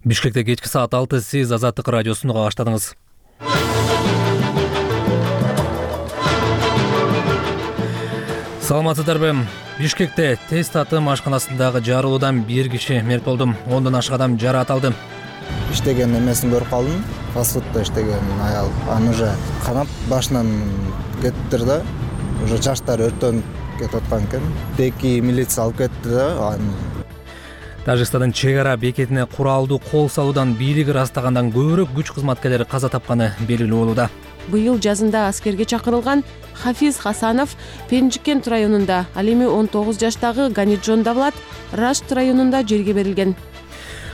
Бишкекте кечки саат 6 сиз Азаттык радиосун уга баштадыңыз. Саламатсыздарбы? Бишкекте тест татым ашканасындагы жарылуудан бир киши мерт болду. 10дон ашык адам жаракат алды. Иштеген эмесин көрүп калдым. Фастфудта иштеген аял. Аны уже канап башынан кеттир да. Уже жаштары өрттөнүп кетип аткан экен. Теки милиция алып кетти да. Тажикстандын чек ара бекетине куралдуу кол салуудан бийлиги ырастагандан көбүрөөк күч кызматкерлери каза тапканы белгилүү болууда. Быйыл жазында аскерге чакырылган Хафиз Хасанов Пенжикент районунда, ал эми 19 жаштагы Ганижон Давлат Рашт районунда жерге берилген.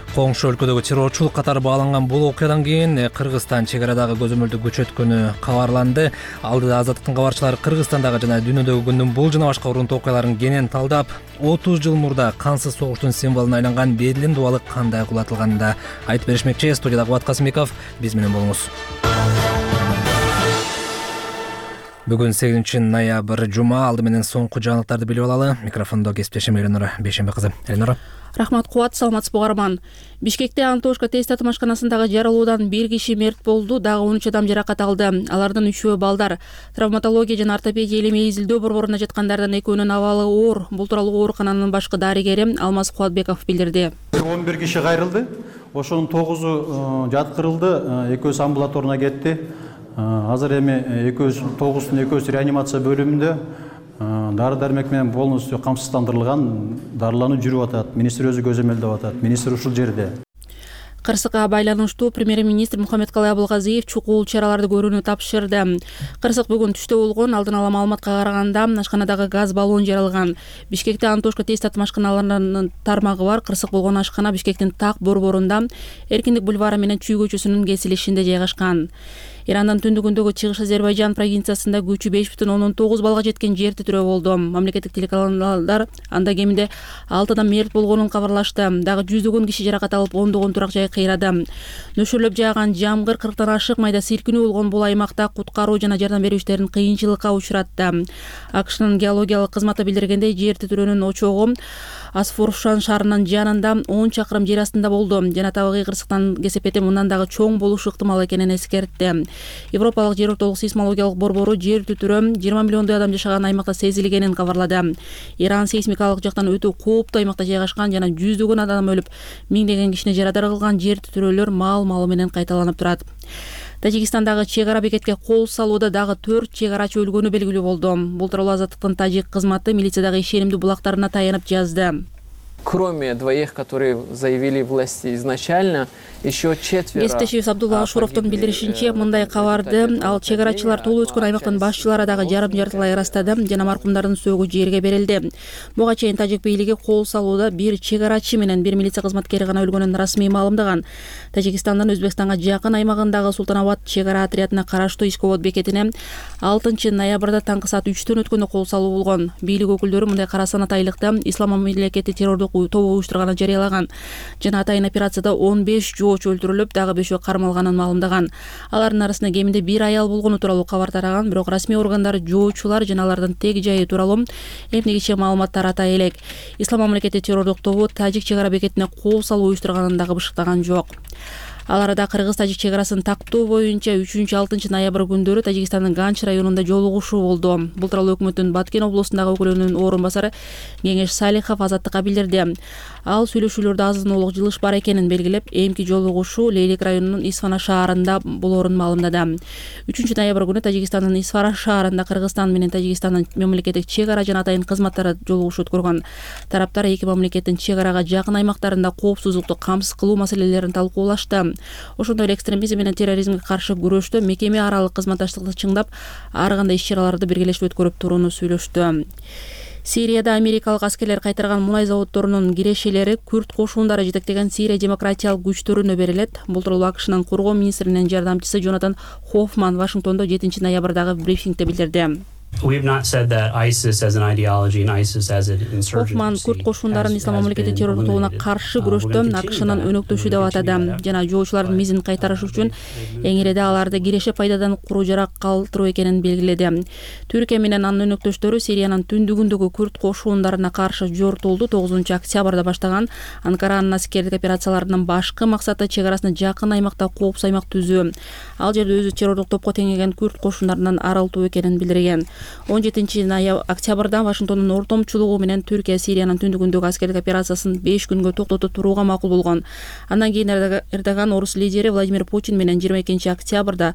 Коңшу өлкөдөгү террорчулук катары бааланган бул окуядан кийин Кыргызстан чек арадагы көзөмөлдү күчөткөнү кабарланды. Алдыда Азаттыктын кабарчылары Кыргызстандагы жана дүйнөдөгү күндүн бул жана башка урунтуу окуяларын кенен талдап, 30 жыл мурда кансыз согуштун символуна айланган Берлин дубалы кандай кулатылганын айтып беришмекчи. Студияда Кубат Касымбеков, биз менен болуңуз. Бүгүн 8-ноябрь жума. Алды менен соңку жаңылыктарды билип алалы. Микрофондо кесиптешим Эленора Бейшенбек кызы. Эленора. Рахмат Кубат, саламатсызбы угарман. Бишкекте Антошка тест татым ашканасындагы жарылуудан бир киши мерт болду, дагы 13 адам жаракат алды. Алардын 3-өө балдар. Травматология жана ортопедия илими изилдөө борборунда жаткандардан 2-өөнүн абалы оор. Бул тууралуу оорукананын башкы дарыгери Алмаз Кубатбеков билдирди. 11 киши кайрылды. Ошонун 9-у жаткырылды, 2-өөсү амбулаторуна кетти. Азыр эми 9-тун 2-өөсү реанимация бөлүмүндө дары-дармек менен полностью камсыздандырылган, дарылануу жүрүп атат. Министр өзү көзөмөлдөп атат. Министр ушул жерде. Кырсыкка байланыштуу премьер-министр Мухаммедкалый Абылгазиев чукул чараларды көрүүнү тапшырды. Кырсык бүгүн түштө болгон алдын ала маалыматка караганда ашканадагы газ баллон жарылган. Бишкекте Антошка тест татым ашканаларынын тармагы бар. Кырсык болгон ашкана Бишкектин Так борборунда Эркиндик бульвары менен Чүй көчөсүнүн кесилишинде жайгашкан. Ирандан түндүгүндөгү Чыгыш Азербайжан провинциясында күчү 5,9 балга жеткен жер титирөө болду. Мамлекеттик телеканалдар анда кеминде 6 адам мерт болгонун кабарлашты. Дагы жүздөгөн киши жаракат алып, ондогон турак жай кыйрады. Нөшөрлөп жааган жамгыр 40тан ашык майда силкинүү болгон бул аймакта куткаруу жана жардам берүү иштерин кыйынчылыкка учуратты. АКШнын геологиялык кызматы билдиргендей, жер титирөөнүн очогу Асфоршан шаарынын жанында 10 чакырым жер астында болду. Жана табигый кырсыктан кесепети мындан дагы чоң болушу ыктымал экенин эскертти. Европалык жер ортолук сейсмологиялык борбору жер титирөө 20 миллиондой адам жашаган аймакта сезилгенин кабарлады. Иран сейсмикалык жактан өтө кооптуу аймакта жайгашкан жана жүздөгөн адам өлүп, миңдеген кишине жарадар кылган жер титирөөлөр маал-малы менен кайталанып турат. Тажикстандагы чек ара бекетке кол салууда дагы 4 чек арачы өлгөнү белгилүү болду. Бул тууралуу Азаттыктын тажик кызматы милициядагы ишенимдүү булактарына таянып жазды. Кроме двоих, которые заявили власти изначально, еще 4. Эстешев Абдулла Ашуровдун билдиришинче, мындай кабарды ал чек арачылар толуп өскөн аймактын башчылары дагы жарым-жартылай ырастады жана маркумдардын сөөгү жерге берилди. Буга чейин тажик бийлиги кол салууда бир чек арачы менен бир милиция кызматкери гана өлгөнүн расмий маалымдаган. Тажикстандын Өзбекстанга жакын аймагындагы Султанабад чек ара отрядына караштуу Искобод бекетине 6-ноябрда таңкы саат 3-төн өткөндө кол салуу болгон. Бийлик өкүлдөрү мындай кара санатайлыкта ислам мамлекети террордук тобу уюштурганын жарыялаган. Жана атайын операцияда 15 жоочу өлтүрүлүп, дагы 5-өө кармалганын маалымдаган. Алардын арасында кеминде бир аял болгону тууралуу кабар тараган, бирок расмий органдар жоочулар жана алардын тег жайы тууралуу эмнегиче маалымат таратай элек. Ислам мамлекети террордук тобу тажик чек ара бекетине кол салуу уюштурганын дагы бышыктаган жок. Ал арада Кыргыз-Тажик чек арасын тактоо боюнча 3-6 ноябрь күндөрү Тажикстандын Ганч районунда жолугушуу болду. Бул тууралуу өкмөттүн Баткен облусундагы өкүлүнүн орун басары Кеңеш Салихов Азаттыкка билдирди. Ал сүйлөшүүлөрдө азын-олук жылыш бар экенин белгилеп, эмки жолугушуу Лейлик районунун Исфана шаарында болорун маалымдады. 3-ноябрь күнү Тажикстандын Исфара шаарында Кыргызстан менен Тажикстандын мамлекеттик чек ара жана атайын кызматтары жолугушуу өткөргөн. Тараптар эки мамлекеттин чек арага жакын аймактарында коопсуздукту камсыз кылуу маселелерин талкуулашты. Ошондой эле экстремизм менен терроризмге каршы күрөштө мекеме аралык кызматташтыкты чыңдап, ар кандай иш-чараларды биргелешип өткөрүп турууну сүйлөштү. Сирияда америкалык аскерлер кайтарган мунай заводдорунун кирешелери Күрд кошундары жетектеген Сирия демократиялык күчтөрүнө берилет. Бул тууралуу АКШнын коргоо министринин жардамчысы Джонатан Хоффман Вашингтондо 7-ноябрдагы брифингде билдирди. We have not said that ISIS as an ideology and ISIS as an insurgency. Хофман Күрд кошундарын ислам мамлекети террор тобуна каршы күрөштө АКШнын өнөктөшү деп атады жана жоочулардын мизин кайтарыш үчүн эң иреде аларды киреше пайдадан куруу жарак калтыруу экенин белгиледи. Түркия менен анын өнөктөштөрү Сириянын түндүгүндөгү Күрд кошундарына каршы жортулду 9 октябрда баштаган Анкаранын аскердик операцияларынын башкы максаты чек арасына жакын аймакта коопсуз аймак түзүү. Ал жерде өзү террорлук топко теңеген Күрд кошундарынан арылтуу экенин билдирген. 17 октябрда Вашингтондун ортомчулугу менен Түркия Сириянын түндүгүндөгү аскердик операциясын 5 күнгө токтото турууга макул болгон. Андан кийин Эрдоган орус лидери Владимир Путин менен 22 октябрда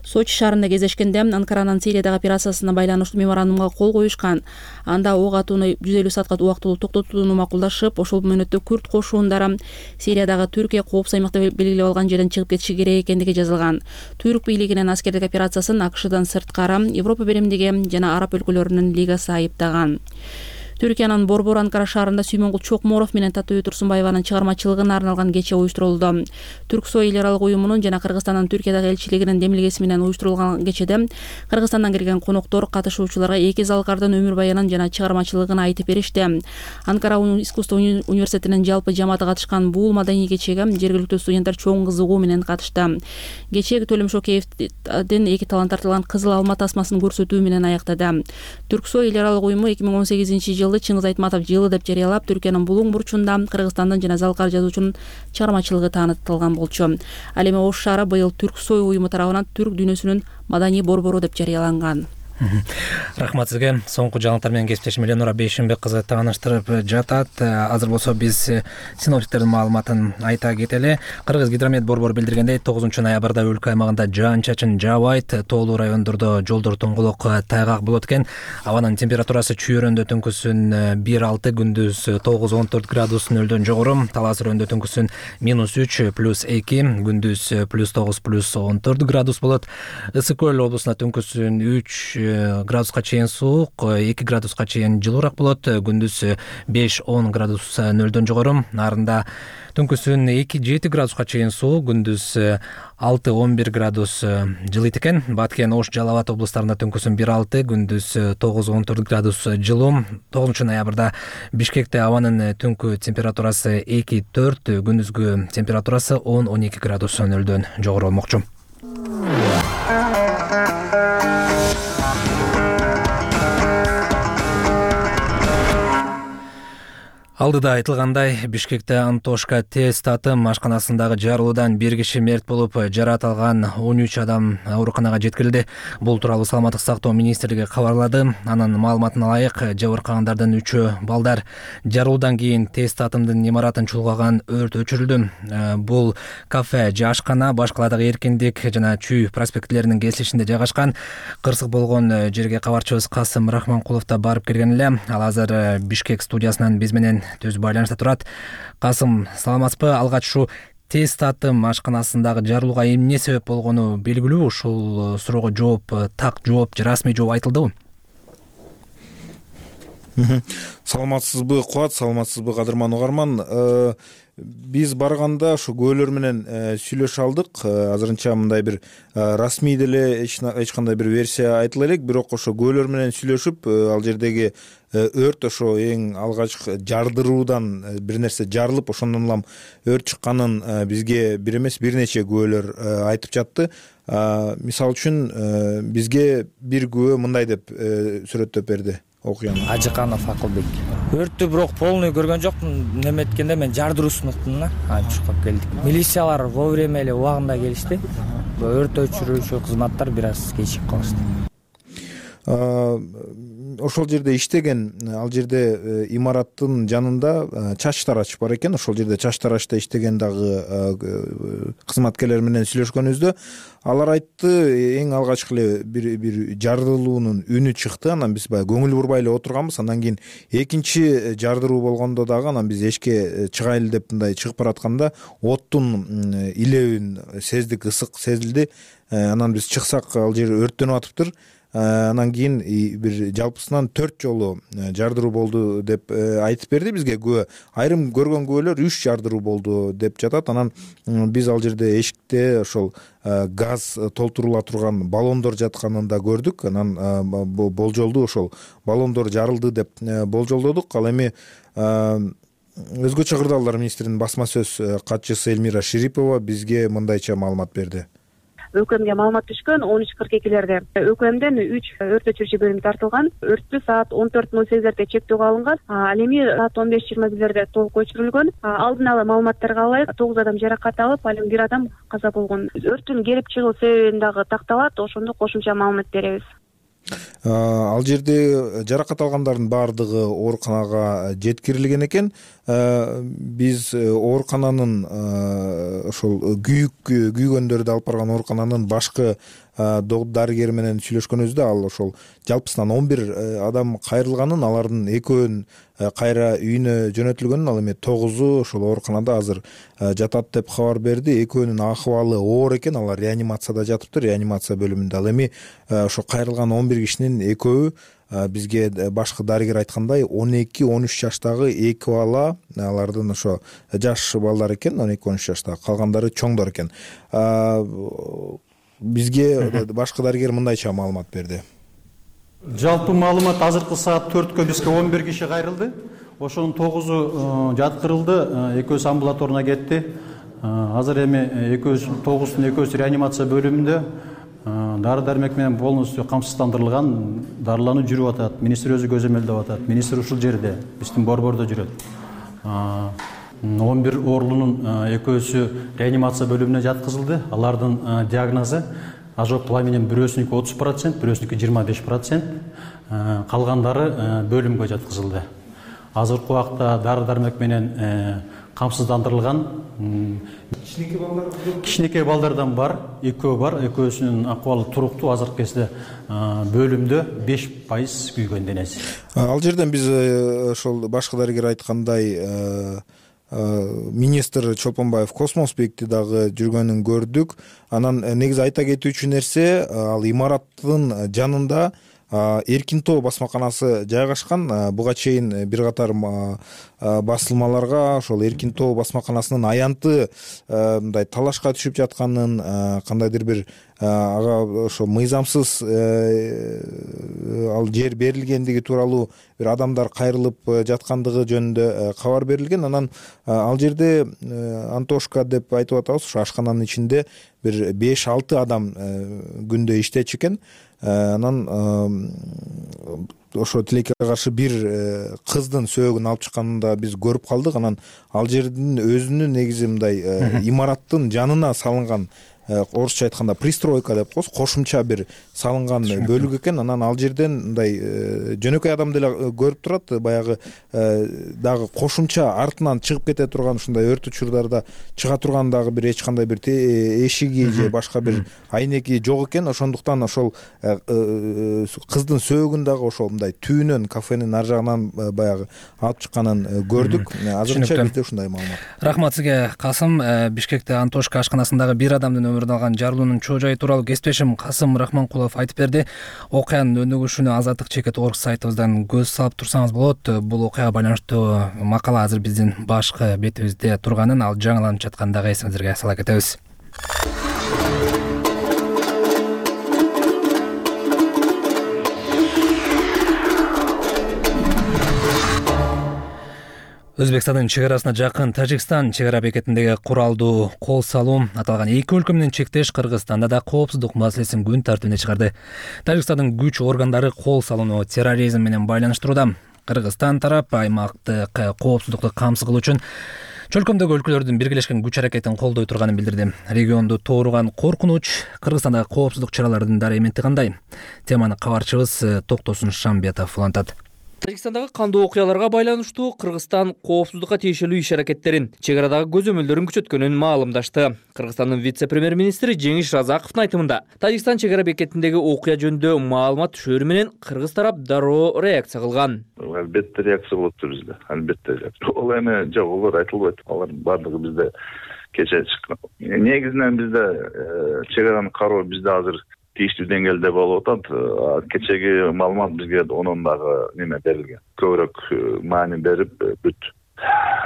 Сочи шаарында кездешкенде Анкаранын Сириядагы операциясына байланыштуу меморандумга кол коюшкан. Анда ок атууну 150 саатка убактылуу токтотууну макулдашып, ошол мөөнөттө Күрд кошундары Сириядагы Түркия коопсуз аймакта белгилеп алган жерден чыгып кетиши керек экендиги жазылган. Түрк бийлигинин аскердик операциясын АКШдан сырткары Европа биримдиги жана Араб өлкөлөрүнүн лигасы айыптаган. Түркиянын Борбор Анкара шаарында Сүймөнгул Чокморов менен Татуу Турсунбаеванын чыгармачылыгына арналган кече уюштурулду. Түрксой эл аралык уюмунун жана Кыргызстандын Түркиядагы элчилигинин демилгеси менен уюштурулган кечеде Кыргызстандан келген коноктор катышуучуларга эки залкардын өмүр баянын жана чыгармачылыгын айтып беришти. Анкара искусство университетинин жалпы жамааты катышкан бул маданий кечеге жергиликтүү студенттер чоң кызыгуу менен катышты. Кече Төлөм Шокеевдин эки талант тартылган кызыл алма тасмасын көрсөтүү менен аяктады. Түрксой эл аралык уюму 2018 Чыңгыз Айтматов жылы деп жарыялап, Түркиянын Булуң бурчунда Кыргызстандын жана залкар жазуучунун чыгармачылыгы таанытылган болчу. Ал эми Ош шаары быйыл Түрксой уюму тарабынан түрк дүйнөсүнүн маданий борбору деп жарыяланган. Рахмат сизге. Соңку жаңылыктар менен кесиптешим Эленора Бейшимбек кызы тааныштырып жатат. Азыр болсо биз синоптиктердин маалыматын айта кетели. Кыргыз гидромет борбору билдиргендей, 9 ноябрда өлкө аймагында жаан-чачын жаабайт, тоолуу райондордо жолдор тоңголок тайгак болот экен. Абанын температурасы чүйөрөндө түнкүсүн 1-6, күндүз 9-14 градус нөлдөн жогору, Талас өрөндө түнкүсүн -3 +2, күндүз +9 +14 градус болот. Ысык көл облусунда түнкүсүн 3 градуска чейин суук, 2 градуска чейин жылуураак болот, күндүз 5-10 градус нөлдөн жогору. Нарында түнкүсүн 2-7 градуска чейин суук, күндүз 6-11 градус жылыйт экен. Баткен, Ош, Жалал Абад облустарында түнкүсүн 1-6, күндүз 9-14 градус жылуу. 9 ноябрда Бишкекте абанын түнкү температурасы 2-4, күндүзгү температурасы 10-12 градус нөлдөн жогору болмокчу. Алдыда айтылгандай, Бишкекте Антошка тез татым ашканасындагы жарылуудан 1 киши мерт болуп, жараат алган 13 адам ооруканага жеткирилди. Бул тууралуу Саламаттык сактоо министрлиги кабарлады. Анын маалыматына ылайык, жабыркагандардын 3-ü балдар. Жарылуудан кийин тез татымдын имаратын чулгаган өрт өчүрүлдү. Бул кафе же ашкана Башкаладагы Эркиндик жана Чүй проспектилеринин кесилишинде жайгашкан. Кырсык болгон жерге кабарчыбыз Касым Рахманкулов да барып келген эле. Ал азыр Бишкек студиясынан биз менен түз байланышта турат. Касым, саламатсызбы? Алгач ушу тез татым ашканасындагы жарылууга эмне себеп болгону белгилүү? Ушул суроого жооп, так жооп же расмий жооп айтылдыбы? Саламатсызбы Кубат, саламатсызбы кадырман угарман. Биз барганда ушу көөлөр менен сүйлөшө алдык. Азырынча мындай бир расмий деле эч кандай бир версия айтыла элек, бирок ошо көөлөр менен сүйлөшүп, ал жердеги өрт ошо эң алгачкы жардыруудан бир нерсе жарылып, ошондон улам өрт чыкканын бизге бир эмес бир нече күбөлөр айтып жатты. Мисалы үчүн бизге бир күбө мындай деп сүрөттөп берди окуяны. Ажыканов Акылбек. Өрттү бирок полный көргөн жокмун. Неметкенде мен жардыруусын уктум да, чуркап келдик. Милициялар вовремя эле убагында келишти. Өрт өчүрүүчү кызматтар бир аз кечип калышты. Ошол жерде иштеген, ал жерде имараттын жанында чач тарач бар экен. Ошол жерде чач тарачта иштеген дагы кызматкерлер менен сүйлөшкөнүбүздө алар айтты, эң алгачкы эле бир жардылуунун үнү чыкты. Анан биз баягы көңүл бурбай эле отурганбыз. Андан кийин экинчи жардыруу болгондо дагы анан биз эшикке чыгайлы деп мындай чыгып баратканда оттун илебин сездик, ысык сезилди. Анан биз чыксак ал жер өрттөнүп атыптыр. анан кийин бир жалпысынан 4 жолу жардыруу болду деп айтып берди бизге күбө. Айрым көргөн күбөлөр 3 жардыруу болду деп жатат. Анан биз ал жерде эшикте ошол газ толтурула турган баллондор жатканын да көрдүк. Анан болжолду ошол баллондор жарылды деп болжолдодук. Ал эми Өзгөчө кырдаалдар министринин басма сөз катчысы Элмира Ширипова бизге мындайча маалымат берди. ӨКМге маалымат түшкөн 13:42 ÖKMден 3 өрт өчүрүүчү бөлүм тартылган. Өрттү саат 14:08 чектөөгө алынган. Ал эми саат 15:21 толук өчүрүлгөн. Алдын ала маалыматтарга ылайык 9 адам жаракат алып, ал эми 1 адам каза болгон. Өрттүн келип чыгуу себебин дагы такталат, ошондо кошумча маалымат беребиз. Ал жерде жаракат алгандардын баардыгы ооруканага жеткирилген экен. Биз оорукананын ошол күйгөндөрдү алып барган оорукананын башкы дарыгери менен сүйлөшкөнүбүздө ал ошол жалпысынан 11 адам кайрылганын, алардын 2-өн кайра үйүнө жөнөтүлгөнүн, ал эми 9-у ошол ооруканада азыр жатат деп кабар берди. 2-өөнүн акыбалы оор экен, алар реанимацияда жатыптыр, реанимация бөлүмүндө. Ал эми ошо кайрылган 11 кишинин 2-өө бизге башкы дарыгер айткандай 12-13 жаштагы 2 бала, алардын ошо жаш балдар экен, 12-13 жаштагы, калгандары чоңдор экен. Бизге башкы дарыгер мындайча маалымат берди. Жалпы маалымат азыркы саат 4-кө бизге 11 киши кайрылды. Ошонун 9-у жаткырылды, 2-өсү амбулаторуна кетти. Азыр эми 9-тун 2-өсү реанимация бөлүмүндө дары дармек менен полностью камсыздандырылган, дарылануу жүрүп атат. Министр өзү көзөмөлдөп атат. Министр ушул жерде, биздин борбордо жүрөт. 11 оорулуунун 2-өсү реанимация бөлүмүнө жаткызылды. Алардын диагнозу ожог пылай менен бирөөсүнүкү 30%, бирөөсүнүкү 25%, калгандары бөлүмгө жаткызылды. Азыркы убакта дары дармек менен камсыздандырылган кичинекей балдардан бар, 2 бар, 2-өсүнүн акыбалы туруктуу, азыркы кезде бөлүмдө 5% күйгөн денеси. Ал жерден биз ошол башкы дарыгер айткандай министр Чолпонбаев Космосбекти дагы жүргөнүн көрдүк. Анан негизи айта кетүүчү нерсе, ал имараттын жанында Эркин тоо басмаканасы жайгашкан. Буга чейин бир катар басылмаларга ошол Эркин тоо басмаканасынын аянты мындай талашка түшүп жатканын, кандайдыр бир ага ошо мыйзамсыз ал жер берилгендиги тууралуу бир адамдар кайрылып жаткандыгы жөнүндө кабар берилген. Анан ал жерде Антошка деп айтып атабыз, ошо ашкананын ичинде бир 5-6 адам күндө иштечү экен. Анан ошо тилекке каршы бир кыздын сөөгүн алып чыкканын да биз көрүп калдык. Анан ал жердин өзүнүн негизи мындай имараттын жанына салынган, орусча айтканда пристройка деп коебуз, кошумча бир салынган бөлүк экен. Анан ал жерден мындай жөнөкөй адам деле көрүп турат, баягы дагы кошумча артынан чыгып кете турган, ушундай өрт учурдарда чыга турган дагы бир эч кандай бир эшиги же башка бир айнеги жок экен. Ошондуктан ошол кыздын сөөгүн дагы ошол мындай түбүнөн, кафенин ар жагынан баягы алып чыкканын көрдүк. Азырынча бизде ушундай маалымат. Рахмат сизге, Касым. Бишкекте Антошка ашканасындагы бир адамдын өмүрүн алган жарылуунун чоо жайы тууралуу кесиптешим Касым Рахманкулов айтып берди. Окуянын өнүгүшүнө Азаттык чекит орг сайтыбыздан көз салып турсаңыз болот. Бул окуяга байланыштуу макала азыр биздин башкы бетибизде турганын, ал жаңыланып жаткандагы эсиңиздерге сала кетебиз. Өзбекстандын чегарасына жакын Тажикстан чегара бекетиндеги куралдуу кол салуу аталган эки өлкө менен чектеш Кыргызстанда да коопсуздук маселесин күн тартибине чыгарды. Тажикстандын күч органдары кол салууну терроризм менен байланыштырууда. Кыргызстан тарап аймактык коопсуздукту камсыз кылуу үчүн чөлкөмдөгү өлкөлөрдүн биргелешкен күч аракетин колдой турганын билдирди. Регионду тооруган коркунуч Кыргызстандагы коопсуздук чараларынын дары эменти кандай? Теманы кабарчыбыз Токтосун Шамбетов улантат. Тажикстандагы кандуу окуяларга байланыштуу Кыргызстан коопсуздукка тиешелүү иш-аракеттерин, чегарадагы көзөмөлдөрүн күчөткөнүн маалымдашты. Кыргызстандын вице-премьер-министри Жеңиш Разаковдун айтымында, Тажикстан чегара бекетиндеги окуя жөнүндө маалымат түшөрү менен кыргыз тарап дароо реакция кылган. Албетте реакция болот бизде. Албетте. Ол эми жок, олар айтылбайт. Алар бардыгы бизде кече чыккан. Негизинен бизде чегараны кароо бизде азыр тийиштүү деңгээлде болуп атат. Кечеги маалымат бизге онун дагы неме берилген. Көбүрөөк маани берип бүт.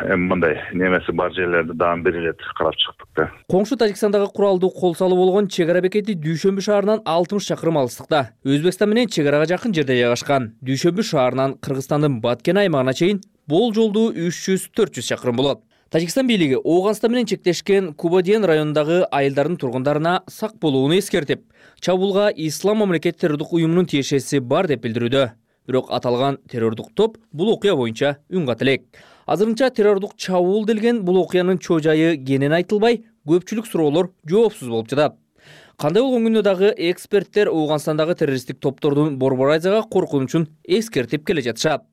Эми мындай немеси бар жерлерди дагы бир ирет карап чыктык да. Коңшу Тажикстандагы куралдуу кол салуу болгон чек ара бекети Дүйшөмбү шаарынан 60 чакырым алыстыкта. Өзбекстан менен чек арага жакын жерде жайгашкан. Дүйшөмбү шаарынан Кыргызстандын Баткен аймагына чейин бул жолдуу 300-400 чакырым болот. Тажикстан бийлиги Ооганстан менен чектешкен Кубадиен районундагы айылдардын тургундарына сак болууну эскертип, чабуулга Ислам мамлекет террордук уюмунун тиешеси бар деп билдирүүдө. Бирок аталган террордук топ бул окуя боюнча үн ката элек. Азырынча террордук чабуул делген бул окуянын чоо жайы кенен айтылбай, көпчүлүк суроолор жоопсуз болуп жатат. Кандай болгон күндө дагы эксперттер Ооганстандагы террористтик топтордун Борборайзага коркунучун эскертип келе жатышат.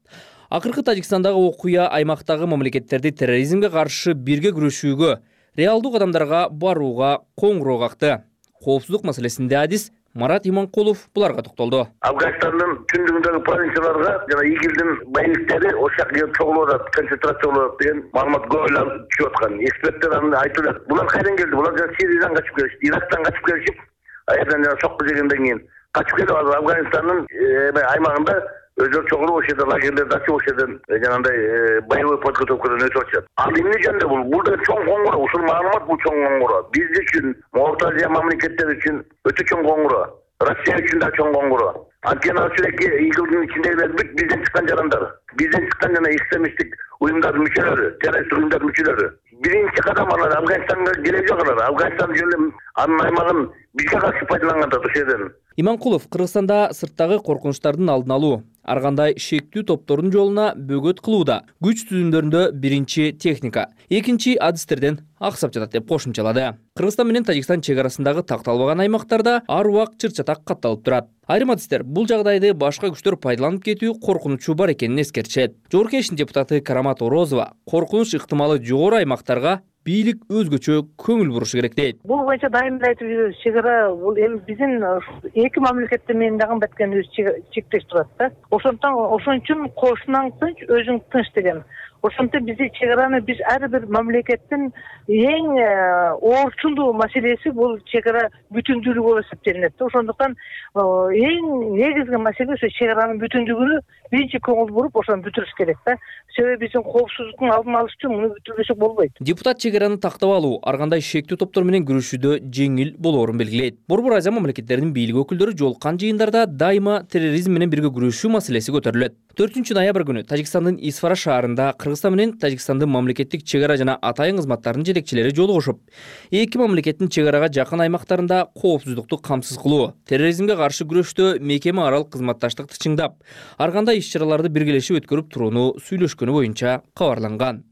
Акыркы Тажикстандагы окуя аймактагы мамлекеттерди терроризмге каршы бирге күрөшүүгө, реалдуу кадамдарга барууга коңгуроо какты. Коопсуздук маселесинде адис Марат Иманкулов буларга токтолду. Афганистандын түндүгүндөгү провинцияларга жана ИГИЛдин байниктери ошол жака чогулуп атат, концентрацияланып атат деген маалымат көбүлөр түшүп аткан. Эксперттер аны айтып атат. Булар кайдан келди? Булар жана Сириядан качып келишти, Ирактан качып келишип, аерден жана сокку жегенден кийин качып келип атат. Афганистандын аймагында өздөр чогулуп ошол жерде лагерлерди ачып ошол жерден жанагындай боевой подготовкадан өтүп атышат. Ал эмне жөнүндө бул? Бул да чоң коңгуроо. Ушул маалымат бул чоң коңгуроо. Биз үчүн, Орто Азия мамлекеттери үчүн өтө чоң коңгуроо. Россия үчүн да чоң коңгуроо. Анткени ал чиреки ИГИЛдин ичиндегилер бүт бизден чыккан жарандар. Бизден чыккан жана экстремисттик уюмдардын мүчөлөрү, террористтик уюмдардын мүчөлөрү. Биринчи кадам алар Афганистанга келе жок алар. Афганистан жөнүндө анын аймагын бизге каршы пайдаланган да ошол жерден. Иманкулов Кыргызстанда сырттагы коркунучтардын алдын алуу, ар кандай шектүү топтордун жолуна бөгөт кылууда күч түзүмдөрүндө биринчи техника, экинчи адистерден аксап жатат деп кошумчалады. Кыргызстан менен Тажикстан чек арасындагы такталбаган аймактарда ар убак чыр-чатак катталып турат. Айрым адистер бул жагдайды башка күчтөр пайдаланып кетүү коркунучу бар экенин эскертишет. Жогорку Кеңештин депутаты Карамат Орозова коркунуч ыктымалы жогору аймактарга бийлик өзгөчө көңүл бурушу керек дейт. Бул боюнча дайым айтып жүрөбүз. Чек ара бул эми биздин эки мамлекеттер менен дагы Баткен өзү чектеш турат да. Ошон үчүн кошунан тынч, өзүң тынч деген. Ошондуктан бизде чек араны биз ар бир мамлекеттин эң оорчундуу маселеси бул чек ара бүтүндүүлүгү болуп эсептелинет. Ошондуктан эң негизги маселе ошо чек аранын бүтүндүгүнө биринчи көңүл буруп ошону бүтүрүш керек да. Себеби биздин коопсуздуктун алдын алыш үчүн муну бүтүрбөсөк болбойт. Депутат чек араны тактап алуу ар кандай шектүү топтор менен күрөшүүдө жеңил болоорун белгилейт. Борбор Азия мамлекеттеринин бийлик өкүлдөрү жолуккан жыйындарда дайыма терроризм менен бирге күрөшүү маселеси көтөрүлөт. 4 ноябрь күнү Тажикстандын Исфара шаарында Кыргызстан менен Тажикстандын мамлекеттик чек ара жана атайын кызматтарынын жетекчилери жолугушуп, эки мамлекеттин чек арага жакын аймактарында коопсуздукту камсыз кылуу, терроризмге каршы күрөштө мекеме аралык кызматташтыкты чыңдап, ар кандай иш-чараларды биргелешип өткөрүп турууну сүйлөшкөнү боюнча кабарланган.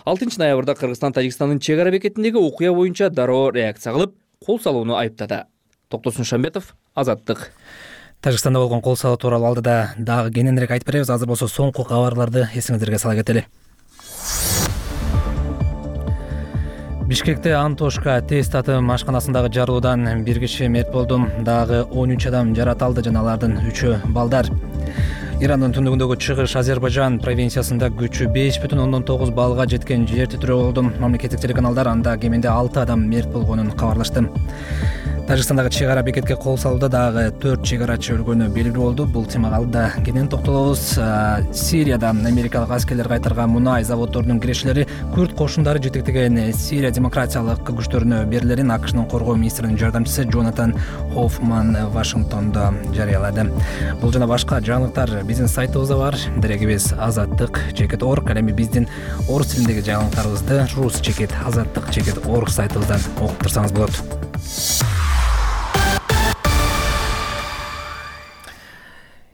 6 ноябрда Кыргызстан Тажикстандын чек ара бекетиндеги окуя боюнча дароо реакция кылып, кол салууну айыптады. Токтосун Шамбетов, Азаттык. Тажикстанда болгон кол салуу тууралуу алдыда дагы кененирээк айтып беребиз. Азыр болсо соңку кабарларды эсиңиздерге сала кетели. Бишкекте Антошка тест татым ашканасындагы жарылуудан бир киши мерт болду, дагы 13 адам жараталды жана алардын 3-ü балдар. Ирандын түндүгүндөгү чыгыш Азербайжан провинциясында күчү 5,9 балга жеткен жер титирөө болду. Мамлекеттик телеканалдар анда кеминде 6 адам мерт болгонун кабарлашты. Тажикстандагы чек ара бекетке кол салууда дагы 4 чек арачы өлгөнү белгилүү болду. Бул темага алда кенен токтолобуз. Сирияда америкалык аскерлер кайтарган мунай заводдорунун кирешелери Күрд кошундары жетектеген Сирия демократиялык күчтөрүнө берилерин АКШнын коргоо министринин жардамчысы Джонатан Хоффман Вашингтондо жарыялады. Бул жана башка жаңылыктар биздин сайтыбызда бар. Дерегибиз azattik.org. Эми биздин орус тилиндеги жаңылыктарыбызды rus.azattik.org сайтыбыздан окуп турсаңыз болот.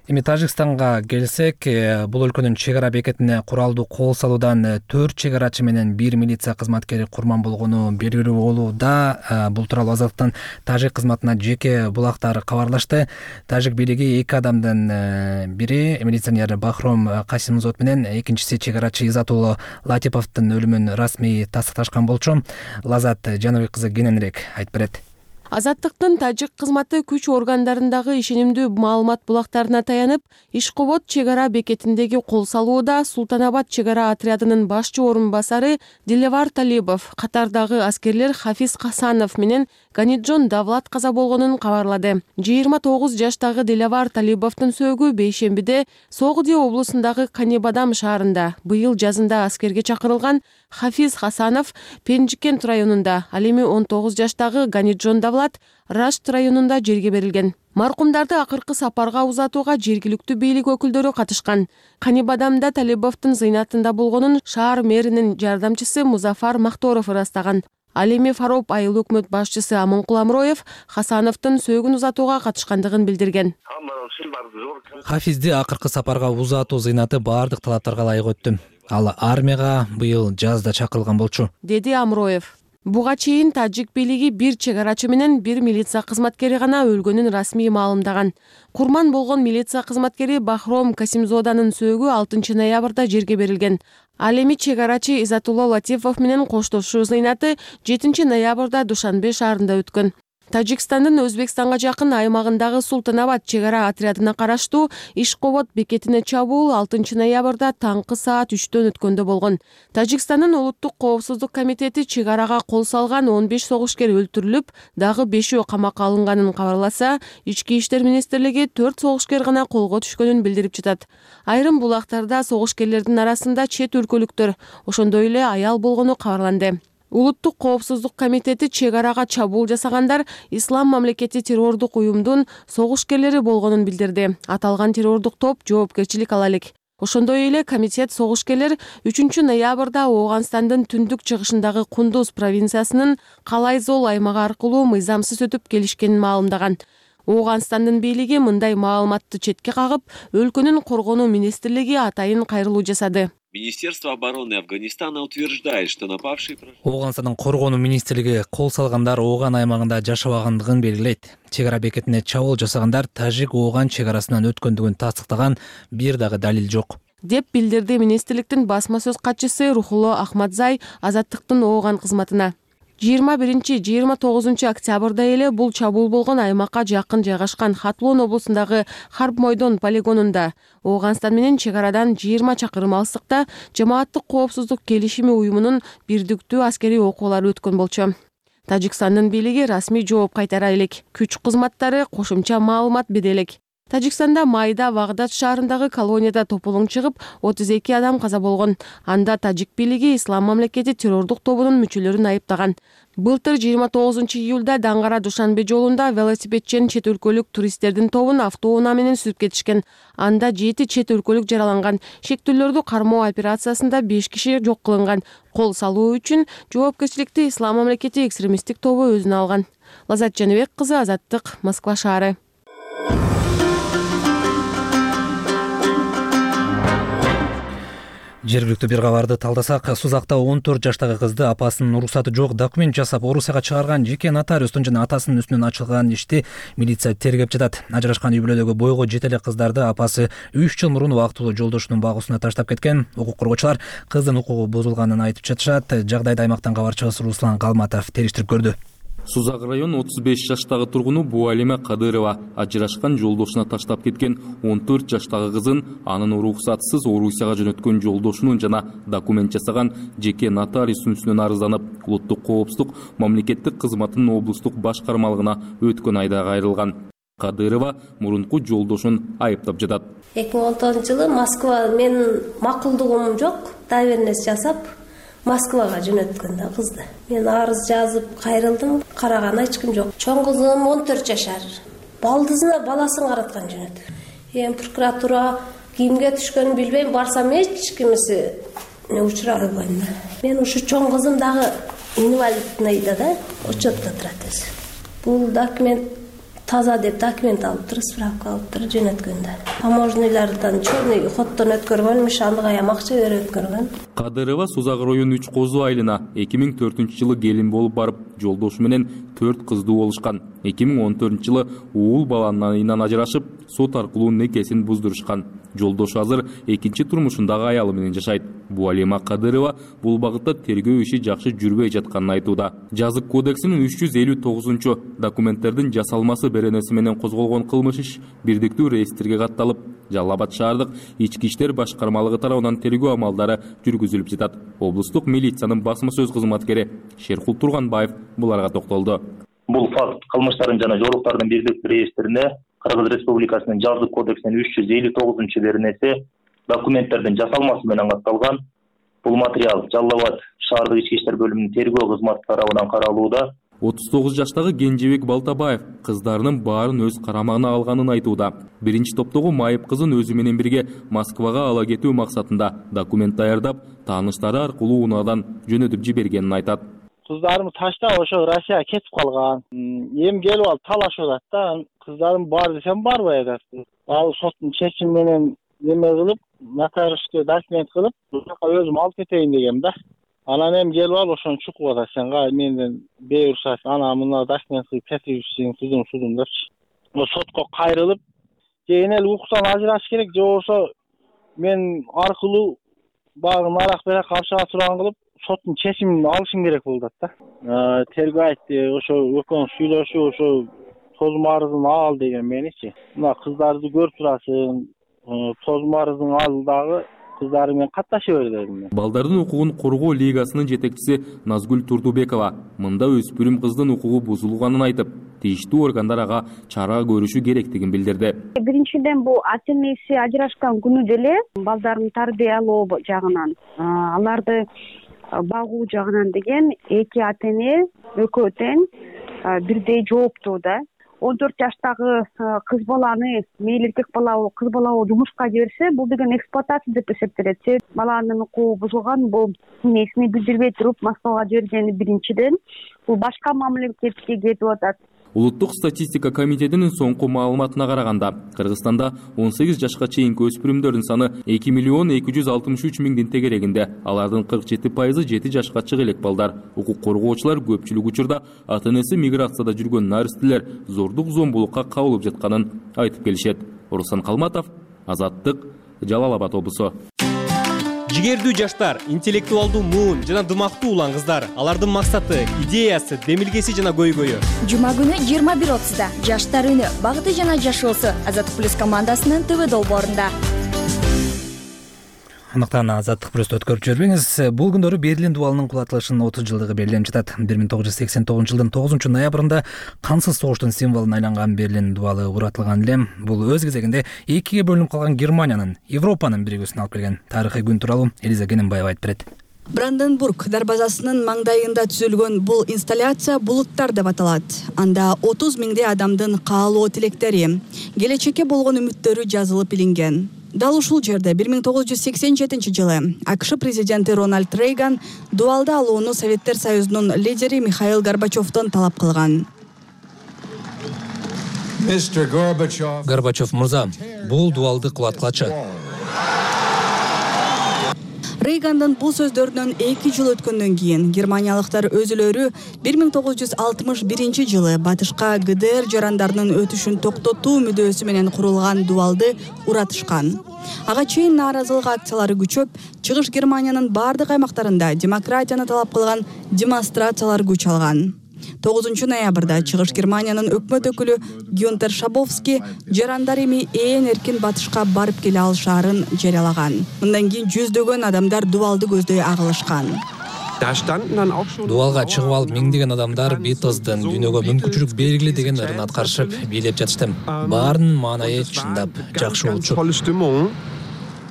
Эми Тажикстанга келсек, бул өлкөнүн чек ара бекетине куралдуу кол салуудан 4 чек арачы менен 1 милиция кызматкери курман болгону белгилүү болууда. Бул тууралуу Азаттыктын тажик кызматына жеке булактар кабарлашты. Тажик бийлиги 2 адамдын бири милиционер Бахром Касимзод менен экинчиси чек арачы Изатулло Латиповдун өлүмүн расмий тастыкташкан болчу. Лазат Жаныбек кызы кененирээк айтып берет. Азаттыктын тажик кызматы күч органдарындагы ишенимдүү маалымат булактарына таянып, Ишкобод чек ара бекетиндеги кол салууда Султанабад чек ара отрядынын башчы орун басары Дилевар Талибов, катардагы аскерлер Хафиз Хасанов менен Ганиджон Давлат каза болгонун кабарлады. 29 жаштагы Дилевар Талибовдун сөөгү бейшембиде Согуди облусундагы Канибадам шаарында быйыл жазында аскерге чакырылган Хафиз Хасанов Пенжикент районунда, ал эми 19 жаштагы Ганиджон Давлат Рашт районунда жерге берилген. Маркумдарды акыркы сапарга узатууга жергиликтүү бийлик өкүлдөрү катышкан. Канибадамда Талибовдун зыйнатында болгонун шаар мэринин жардамчысы Музафар Махторов ырастаган. Ал эми Фароп айыл өкмөт башчысы Амонкул Амроев Хасановдун сөөгүн узатууга катышкандыгын билдирген. Хафизди акыркы сапарга узатуу зыйнаты баардык талаптарга ылайык өттү. Ал армияга быйыл жазда чакырылган болчу, деди Амроев. Буга чейин тажик бийлиги бир чек арачы менен бир милиция кызматкери гана өлгөнүн расмий маалымдаган. Курман болгон милиция кызматкери Бахром Касимзоданын сөөгү 6 ноябрда жерге берилген. Ал эми чек арачы Изатулла Латифов менен коштошуу зыйнаты 7 ноябрда Душанбе шаарында өткөн. Тажикстандын Өзбекстанга жакын аймагындагы Султанабад чек ара отрядына караштуу Ишкобод бекетине чабуул 6 ноябрда таңкы саат 3-төн өткөндө болгон. Тажикстандын улуттук коопсуздук комитети чек арага кол салган 15 согушкер өлтүрүлүп, дагы 5-өө камакка алынганын кабарласа, Ички иштер министрлиги 4 согушкер гана колго түшкөнүн билдирип жатат. Айрым булактарда согушкерлердин арасында чет өлкөлүктөр, ошондой эле аял болгону кабарланды. Улуттук коопсуздук комитети чек арага чабуул жасагандар Ислам мамлекети террордук уюмдун согушкерлери болгонун билдирди. Аталган террордук топ жоопкерчилик ала элек. Ошондой эле комитет согушкерлер 3 ноябрда Ооганстандын түндүк чыгышындагы Кундуз провинциясынын Калайзол аймагы аркылуу мыйзамсыз өтүп келишкенин маалымдаган. Ооганстандын бийлиги мындай маалыматты четке кагып, өлкөнүн коргонуу министрлиги атайын кайрылуу жасады. Министерство обороны Афганистана утверждает, что напавшие... Ооганстандын коргонуу министрлиги кол салгандар Ооган аймагында жашабагандыгын белгилейт. Чек ара бекетине чабуул жасагандар Тажик-Ооган чек арасынан өткөндүгүн тастыктаган бир дагы далил жок, деп билдирди министрликтин басма сөз катчысы Рухулло Ахмадзай Азаттыктын Ооган кызматына. 21-29 октябрда эле бул чабуул болгон аймакка жакын жайгашкан Хатлон облусундагы Харб Мойдон полигонунда Ооганстан менен чек арадан 20 чакырым алыстыкта жамааттык коопсуздук келишими уюмунун бирдиктүү аскерий окуулары өткөн болчу. Тажикстандын бийлиги расмий жооп кайтара элек, күч кызматтары кошумча маалымат бере элек. Тажикстанда майда Вагдад шаарындагы колонияда тополоң чыгып 32 адам каза болгон. Анда тажик бийлиги Ислам мамлекети террордук тобунун мүчөлөрүн айыптаган. Былтыр 29 июлда Даңгара Душанбе жолунда велосипедчен чет өлкөлүк туристтердин тобун автоунаа менен сүрүп кетишкен. Анда 7 чет өлкөлүк жараланган. Шектүүлөрдү кармоо операциясында 5 киши жок кылынган. Кол салуу үчүн жоопкерчиликти Ислам мамлекети экстремисттик тобу өзүнө алган. Лазат Жаныбек кызы, Азаттык, Москва шаары. Жергиликтүү бир кабарды талдасак, Сузакта 14 жаштагы кызды апасынын уруксаты жок документ жасап Орусияга чыгарган жеке нотариустун жана атасынын үстүнөн ачылган ишти милиция тергеп жатат. Ажырашкан үй-бүлөдөгү бойго жете элек кыздарды апасы 3 жыл мурун убактылуу жолдошунун багуусуна таштап кеткен. Укук коргоочулар кыздын укугу бузулганын айтып жатышат. Жагдайды аймактан кабарчыбыз Руслан Калматов териштирип көрдү. Сузак район 35 жаштагы тургуну Буалима Кадырова ажырашкан жолдошуна таштап кеткен 14 жаштагы кызын анын уруксатсыз Орусияга жөнөткөн жолдошунун жана документ жасаган жеке нотариустун үстүнөн арызданып, улуттук коопсуздук мамлекеттик кызматынын облустук башкармалыгына өткөн айда кайрылган. Кадырова мурунку жолдошун айыптап жатат. 2010-жылы Москва менин макулдугум жок, доверенность жасап Москвага жөнөткөн да кызды. Мен арыз жазып кайрылдым, караган эч ким жок. Чоң кызым 14 жашар. Балдызына баласын караткан жөнөт. Прокуратура кимге түшкөнүн билбейм, барсам эч кимиси учурай албайм да. Мен ушу чоң кызым дагы инвалидныйда да, учетто турат өзү. Бул документ таза деп документ алып туруп, справка алып туруп жөнөткөн да. Таможнийлардан черный ходдон өткөргөнмүш, андык аям акча берип өткөргөн. Кадырова Сузак району 3 Козу айылына 2004-жылы келин болуп барып, жолдошу менен 4 кыздуу болушкан. 2014-жылы уул баланын айынан ажырашып, сот аркылуу некесин буздурушкан. Жолдошу азыр экинчи турмушундагы аялы менен жашайт. Буалима Кадырова бул багытта тергөө иши жакшы жүрбөй жатканын айтууда. Жазык кодексинин 359 документтердин жасалмасы беренеси менен козголгон кылмыш иш бирдиктүү реестрге катталып, Жалал Абад шаардык ички иштер башкармалыгы тарабынан тергөө амалдары жүргүзүлүп жатат. Облустук милициянын басма сөз кызматкери Шеркул Турганбаев буларга токтолду. Бул факт кылмыштардын жана жоруктардын бирдиктүү реестрине Кыргыз Республикасынын Жазык кодексинин 359 беренеси документтердин жасалмасы менен катталган. Бул материал Жалал Абад шаардык ички иштер бөлүмүнүн тергөө кызматы тарабынан каралууда. 39 жаштагы Кенжебек Балтабаев кыздарынын баарын өз карамагына алганын айтууда. Биринчи топтогу майып кызын өзү менен бирге Москвага ала кетүү максатында документ даярдап, тааныштары аркылуу унаадан жөнөтүп жибергенин айтат. Кыздарым таштап ошо Россияга кетип калган. Эми келип алып талашып атат да. Кыздарым бар десем барбай атат. Ал соттун чечими менен неме кылып, нотариуске документ кылып, буяка өзүм алып кетейин дегем да. Анан эми келип алып ошону чукуп атат. Сен кай менден бейурсат, ана мына документ кылып кетирипсиң, судум депчи. Сотко кайрылып, кийин эле укуктан ажыраш керек, же болбосо мен аркылуу багы нарак берак акчага турган кылып соттун чечимин алышың керек болуп атат да. Тергөө айтты, ошо экөөң сүйлөшүп, ошо тозум арызын ал деген меничи. Мына кыздарды көрүп турасың, тозум арызын ал дагы кыздары менен катташа бер дедим. Балдардын укугун коргоо лигасынын жетекчиси Назгүл Турдубекова мында өспүрүм кыздын укугу бузулганын айтып, тийиштүү органдар ага чара көрүшү керектигин билдирди. Биринчиден бул ата энеси ажырашкан күнү деле балдарын тарбиялоо жагынан, аларды багуу жагынан деген эки ата эне экөө тең бирдей жооптуу да. 14 жаштагы кыз баланы мейли эркек бала болобу кыз бала болобу жумушка жиберсе, бул деген эксплуатация деп эсептелет. Баланын укугу бузулган, бул эмесин билдирбей туруп Москвага жибергени биринчиден. Бул башка мамлекетке кетип атат. Улуттук статистика комитетинин соңку маалыматына караганда, Кыргызстанда 18 жашка чейинки өспүрүмдөрдүн саны 2 миллион 263 миңдин тегерегинде. Алардын 47% 7 жашка чыга элек балдар. Укук коргоочулар көпчүлүк учурда ата энеси миграцияда жүргөн наристелер зордук зомбулукка кабылып жатканын айтып келишет. Руслан Калматов, Азаттык, Жалал Абад облусу. Жигердүү жаштар, интеллектуалдуу муун жана дымактуу улан кыздар. Алардын максаты, идеясы, демилгеси жана көйгөйү. Жума күнү 21:30да Жаштар үнү, багыты жана жашоосу Азаттык плюс командасынын ТВ долбоорунда. Андыктан Азаттык плюсту өткөрүп жибербеңиз. Бул күндөрү Берлин дубалынын кулатылышынын 30 жылдыгы белгиленип жатат. 1989 жылдын 9 ноябрында кансыз согуштун символуна айланган Берлин дубалы уратылган эле. Бул өз кезегинде экиге бөлүнүп калган Германиянын, Европанын биригүүсүнө алып келген тарыхый күн тууралуу Элиза Кененбаева айтып берет. Бранденбург дарбазасынын маңдайында түзүлгөн бул инсталляция булуттар деп аталат. Анда 30 миңдей адамдын каалоо тилектери, келечекке болгон үмүттөрү жазылып илинген. Дал ушул жерде 1987 жылы АКШ президенти Рональд Рейган дубалды алууну Советтер Союзунун лидери Михаил Горбачевдон талап кылган. Горбачев мырза, бул дубалды кулаткылачы. Рейгандын бул сөздөрүнөн 2 жыл өткөндөн кийин германиялыктар өзүлөрү 1961 жылы батышка ГДР жарандарынын өтүшүн токтотуу мүдөөсү менен курулган дубалды уратышкан. Ага чейин нааразылык акциялары күчөп, Чыгыш Германиянын бардык аймактарында демократияны талап кылган демонстрациялар күч алган. 9 ноябрда Чыгыш Германиянын өкмөт өкүлү Гюнтер Шабовский жарандар эми ээн эркин батышка барып келе алышаарын жарыялаган. Мындан кийин жүздөгөн адамдар дубалды көздөй агылышкан. Дубалга чыгып алып миңдеген адамдар Битлздын дүйнөгө мүмкүнчүлүк бергиле деген ырын аткарышып, бийлеп жатышты. Баарынын маанайы чындап жакшы болчу.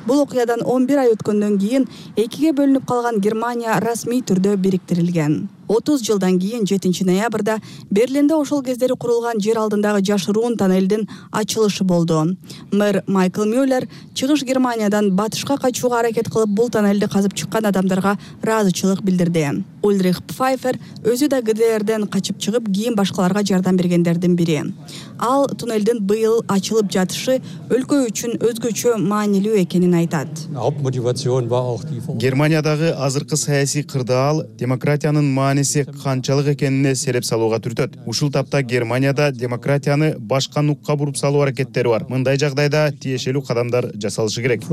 Бул окуядан 11 ай өткөндөн кийин экиге бөлүнүп калган Германия расмий түрдө бириктирилген. 30 жылдан кийин 7 ноябрда Берлинде ошол кездери курулган жер алдындагы жашыруун тоннелдин ачылышы болду. Мэр Майкл Мюллер Чыгыш Германиядан батышка качууга аракет кылып бул тоннелди казып чыккан адамдарга ыраазычылык билдирди. Ульрих Пфайфер өзү да ГДРден качып чыгып, кийин башкаларга жардам бергендердин бири. Ал туннелдин быйыл ачылып жатышы өлкө үчүн өзгөчө маанилүү экенин айтат. Германиядагы азыркы саясий кырдаал демократиянын мааниси канчалык экенине сереп салууга түртөт. Ушул тапта Германияда демократияны башка нукка буруп салуу аракеттери бар. Мындай жагдайда тиешелүү кадамдар жасалышы керек.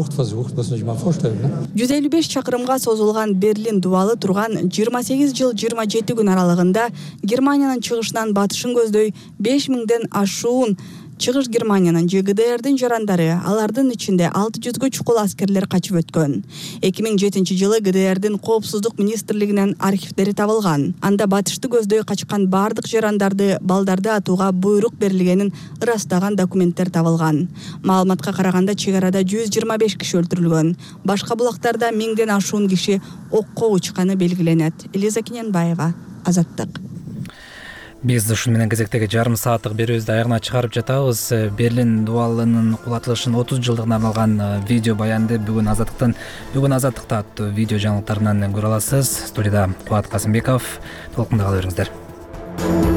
155 чакырымга созулган Берлин дубалы турган 28 жыл 27 күн аралыгында Германиянын чыгышынан батышын көздөй 5000ден ашуун Чыгыш Германиянын же ГДРдин жарандары, алардын ичинде 600гө чукул аскерлер качып өткөн. 2007 жылы ГДРдин коопсуздук министрлигинен архивдери табылган. Анда батышты көздөй качкан бардык жарандарды, балдарды атууга буйрук берилгенин ырастаган документтер табылган. Маалыматка караганда чек арада 125 киши өлтүрүлгөн. Башка булактарда 1000ден ашуун киши окко учканы белгиленет. Элиза Кененбаева, Азаттык. Биз ушун менен кезектеги жарым сааттык берүүбүздү аягына чыгарып жатабыз. Берлин дубалынын кулатылышынын 30 жылдыгына арналган видео баянды бүгүн Азаттыкта аттуу видео жаңылыктарынан көрө аласыз. Студияда Кубат Касымбеков. Толкунда кала бериңиздер.